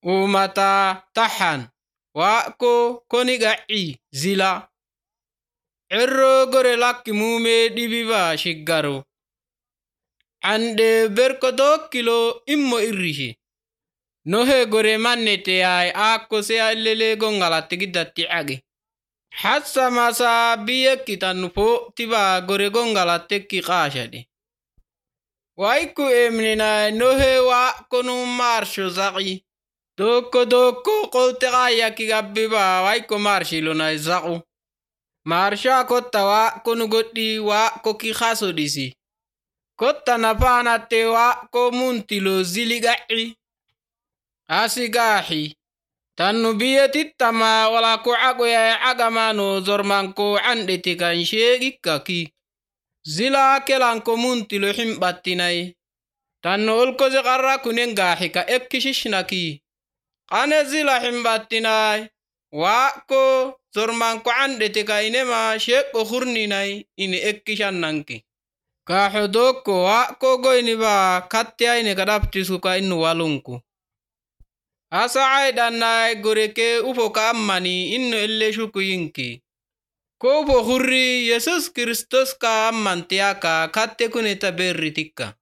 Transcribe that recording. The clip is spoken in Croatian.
umata tahan wako koniga'i zila erro gore lakki mume dibiba shiggaro ande berko kilo immo irrishi nohe gore mannete ay akko se allele gongalatti giddatti age hassa masa biyekki tanpo tiba gore gongalattekki qashade waiku emnina nohe wa konu marsho zaqi doko qolte qayaki gabbiba waiku marshilo na zaqu marsha kotta wa konu goddi wa koki khaso disi kotta napanate wa ko muntilo ziliga'i asigahi tannu biyetittama wala ko agoya agamano zormanko andeti kan shegikkaki zila kelanko muntilo himbattinai tannu olkoze qarra kunen gahi ka ekkishishnaki qane zila himbattinai wa ko zormanko andeti ka inema shekko khurninai ini ekkishannanki ka hodoko wa ko goyni ba kattiaine kadaptisu ka inu walunku asa aidanai goreke ufo ka ammani inno elle shukuyinki ko ufo khurri yesus kristos ka ammantiaka katte kuneta berritikka